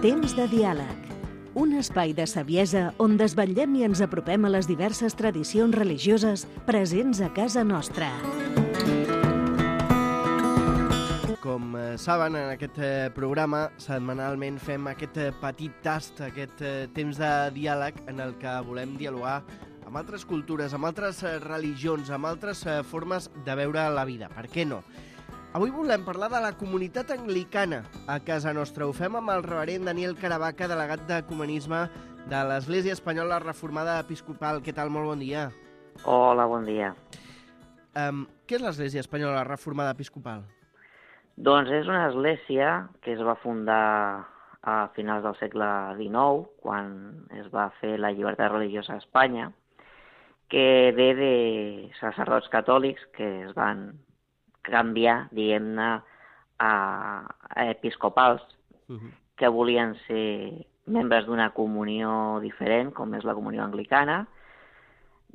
Temps de diàleg. Un espai de saviesa on desvetllem i ens apropem a les diverses tradicions religioses presents a casa nostra. Com saben, en aquest programa setmanalment fem aquest petit tast, aquest temps de diàleg en el que volem dialogar amb altres cultures, amb altres religions, amb altres formes de veure la vida. Per què no? Avui volem parlar de la comunitat anglicana a casa nostra. Ho fem amb el reverend Daniel Caravaca, delegat d'Ecumenisme de l'Església Espanyola Reformada Episcopal. Què tal? Molt bon dia. Hola, bon dia. Què és l'Església Espanyola Reformada Episcopal? Doncs és una església que es va fundar a finals del segle XIX, quan es va fer la llibertat religiosa a Espanya, que ve de sacerdots catòlics que es van canviar, diguem-ne, a episcopals que volien ser membres d'una comunió diferent, com és la comunió anglicana.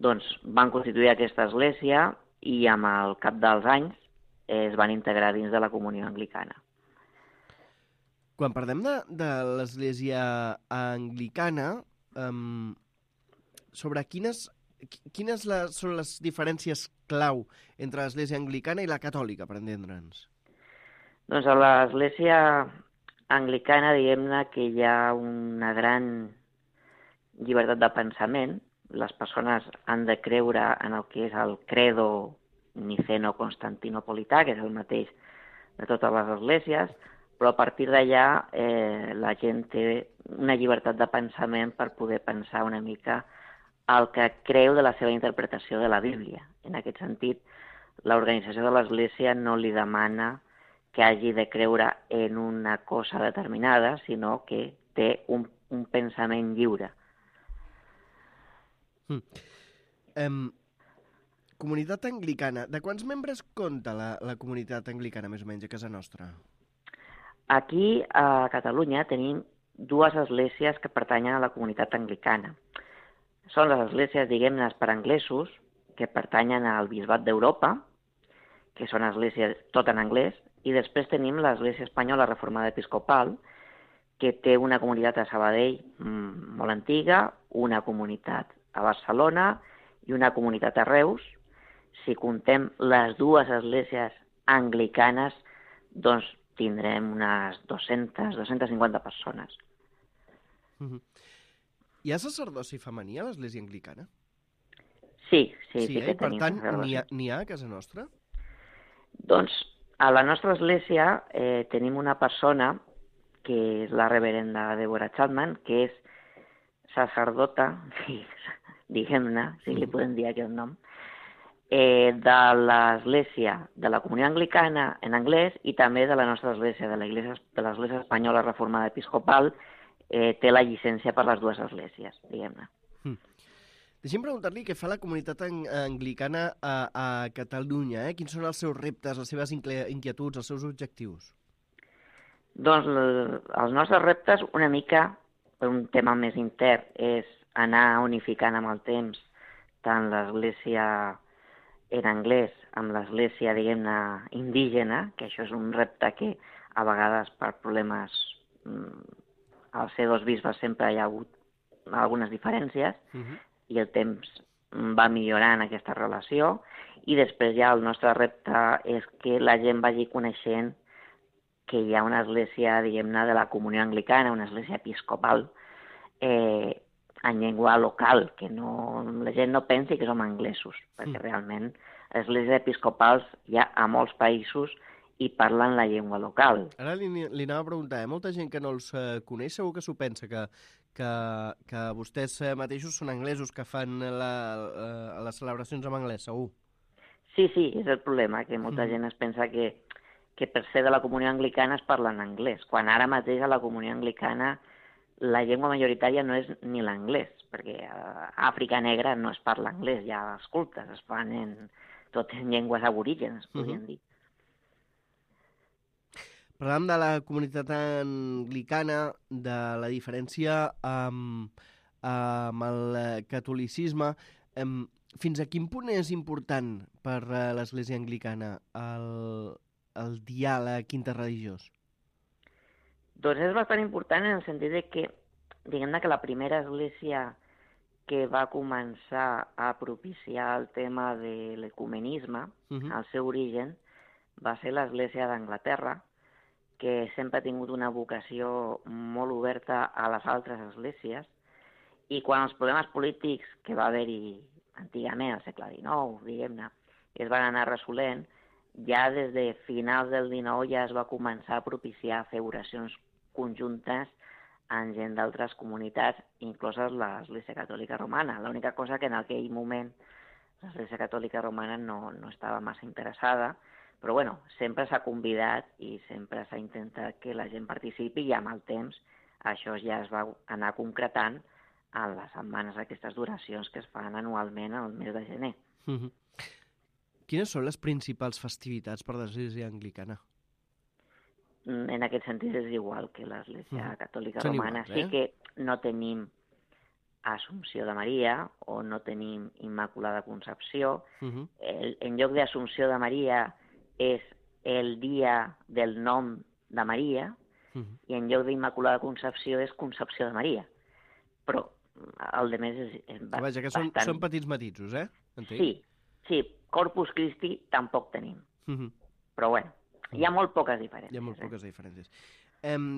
Doncs van constituir aquesta església i amb el cap dels anys es van integrar dins de la comunió anglicana. Quan parlem de l'Església anglicana, sobre quines són les diferències clau entre l'Església anglicana i la catòlica, per entendre'ns? Doncs a l'Església anglicana, diguem-ne que hi ha una gran llibertat de pensament. Les persones han de creure en el que és el credo niceno-constantinopolità, que és el mateix de totes les esglésies, però a partir d'allà la gent té una llibertat de pensament per poder pensar una mica el que creu de la seva interpretació de la Bíblia. En aquest sentit, l'organització de l'Església no li demana que hagi de creure en una cosa determinada, sinó que té un pensament lliure. Comunitat anglicana. De quants membres compta la comunitat anglicana, més o menys, a casa nostra? Aquí, a Catalunya, tenim dues esglésies que pertanyen a la comunitat anglicana. Són les esglésies, diguem-ne, per anglesos, que pertanyen al Bisbat d'Europa, que són esglésies tot en anglès, i després tenim l'Església Espanyola Reformada Episcopal, que té una comunitat a Sabadell molt antiga, una comunitat a Barcelona i una comunitat a Reus. Si contem les dues esglésies anglicanes, doncs tindrem unes 250 persones. Hi ha sacerdoci femení a l'Església anglicana? Sí que Per tenim. tant, n'hi ha a casa nostra? Doncs a la nostra església tenim una persona que és la reverenda Deborah Chapman, que és sacerdota, diguem-ne, si li podem dir aquest nom, de l'Església de la Comunió Anglicana en anglès i també de la nostra església, de l'Església Espanyola Reformada Episcopal, té la llicència per les dues esglésies, diguem-ne. Deixem preguntar-li què fa la comunitat anglicana a Catalunya. Quins són els seus reptes, les seves inquietuds, els seus objectius? Doncs els nostres reptes, una mica, per un tema més intern, és anar unificant amb el temps tant l'església en anglès amb l'església, diguem-ne, indígena, que això és un repte que a vegades per problemes al ser dos bisbes sempre hi ha hagut algunes diferències i el temps va millorant aquesta relació, i després ja el nostre repte és que la gent vagi coneixent que hi ha una església, diguem-ne, de la comunió anglicana, una església episcopal en llengua local, que la gent no pensi que som anglesos, perquè realment esglésies episcopals hi ha a molts països i parlen la llengua local. Ara li anava a preguntar, molta gent que no els coneix segur que s'ho pensa, que vostès mateixos són anglesos, que fan les celebracions en anglès, segur. Sí, és el problema, que molta gent es pensa que per ser de la comunió anglicana es parla en anglès, quan ara mateix a la comunió anglicana la llengua majoritària no és ni l'anglès, perquè a Àfrica Negra no es parla anglès, hi ha els cultes, es fan tot en llengües aborígens, podríem dir. Parlàvem de la comunitat anglicana, de la diferència amb el catolicisme. Fins a quin punt és important per l'Església anglicana el diàleg interreligiós? Doncs és bastant important en el sentit de que, diguem-ne que la primera església que va començar a propiciar el tema de l'ecumenisme, al seu origen, va ser l'Església d'Anglaterra, que sempre ha tingut una vocació molt oberta a les altres esglésies, i quan els problemes polítics que va haver-hi antigament, al segle XIX, diguem-ne, es van anar resolent, ja des de finals del XIX ja es va començar a propiciar fer oracions conjuntes amb gent d'altres comunitats, incloses l'Església Catòlica Romana. L'única cosa que en aquell moment l'Església Catòlica Romana no estava massa interessada, però bueno, sempre s'ha convidat i sempre s'ha intentat que la gent participi i amb el temps això ja es va anar concretant en les setmanes aquestes d'oracions que es fan anualment al mes de gener. Quines són les principals festivitats per l'Església Anglicana? En aquest sentit és igual que l'Església Catòlica Són Romana. iguals, Sí que no tenim Assumpció de Maria o no tenim Immaculada Concepció. En lloc d'Assumpció de Maria és el dia del nom de Maria i en lloc d'Immaculada Concepció és Concepció de Maria. Però el de més és bastant... Vaja, que són petits matisos, eh? Entenc? Sí. Corpus Christi tampoc tenim. Però bueno, hi ha molt poques diferències. Hi ha molt poques diferències.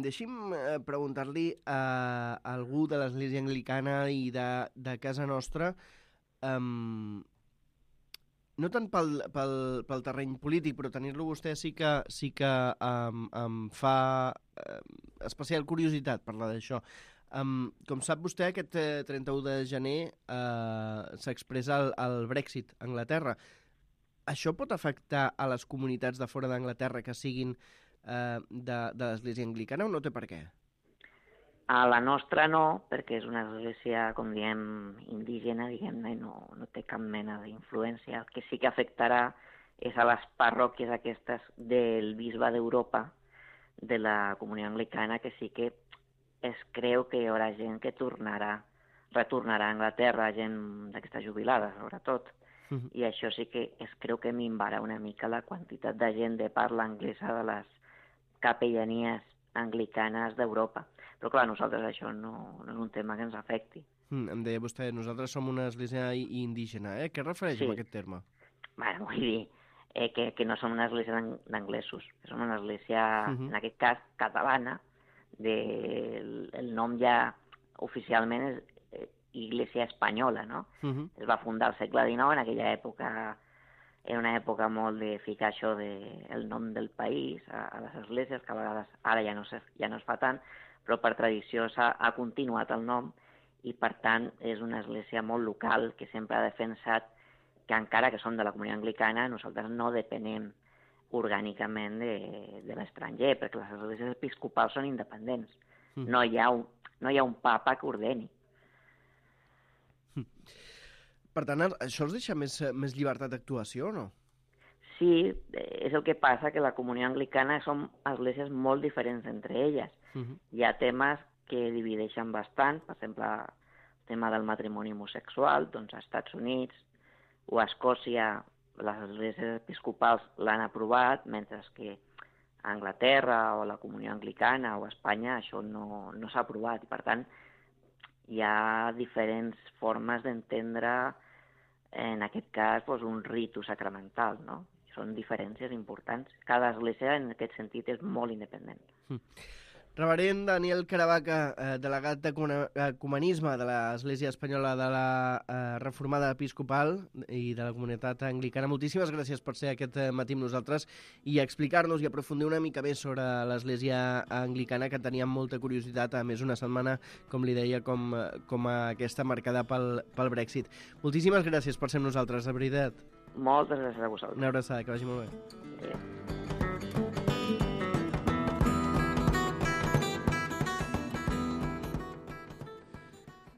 Deixi'm preguntar-li a algú de l'Església Anglicana i de casa nostra, no tant pel terreny polític, però tenir-lo vostè sí que em fa especial curiositat parlar d'això. Com sap vostè, aquest 31 de gener s'expressa el Brexit a Anglaterra. Això pot afectar a les comunitats de fora d'Anglaterra que siguin de l'Església Anglicana o no té per què? A la nostra no, perquè és una església, com diem, indígena, diguem-ne, i no té cap mena d'influència. El que sí que afectarà és a les parròquies aquestes del bisbe d'Europa, de la comunió anglicana, que sí que es creu que hi haurà gent que retornarà a Anglaterra, gent d'aquesta jubilada, sobretot. I això sí que es creu que minvarà una mica la quantitat de gent de parla anglesa de les capellanies anglicanes d'Europa. Però clar, nosaltres això no és un tema que ens afecti. Em deia vostè, nosaltres som una església indígena, eh? Què refereix amb aquest terme? Bueno, vull dir que no som una església d'anglesos, que som una església, en aquest cas, catalana. El nom ja oficialment és Iglesia Espanyola, no? Es va fundar al segle XIX, en aquella època era una època molt de ficar això del nom del país a les esglésies, que a vegades ara ja no es fa tant, però per tradició ha continuat el nom i per tant és una església molt local que sempre ha defensat que encara que som de la comunitat anglicana nosaltres no depenem orgànicament de l'estranger, perquè les esglésies episcopals són independents. No hi ha un papa que ordeni. Per tant, això els deixa més llibertat d'actuació o no? Sí, és el que passa, que la comunió anglicana són esglésies molt diferents entre elles. Hi ha temes que divideixen bastant, per exemple, el tema del matrimoni homosexual, doncs als Estats Units o a Escòcia les esglésies episcopals l'han aprovat, mentre que a Anglaterra o a la comunió anglicana o a Espanya això no s'ha aprovat. I per tant, hi ha diferents formes d'entendre, en aquest cas, un ritu sacramental, no? Són diferències importants. Cada església, en aquest sentit, és molt independent. Reverend Daniel Caravaca, delegat d'Ecumenisme de l'Església Espanyola de la Reformada Episcopal i de la comunitat anglicana, moltíssimes gràcies per ser aquest matí amb nosaltres i explicar-nos i aprofundir una mica més sobre l'Església Anglicana, que teníem molta curiositat, a més una setmana, com li deia, com aquesta marcada pel Brexit. Moltíssimes gràcies per ser amb nosaltres, de veritat. Moltes gràcies a vosaltres. Una abraçada, que vagi molt bé. Adéu.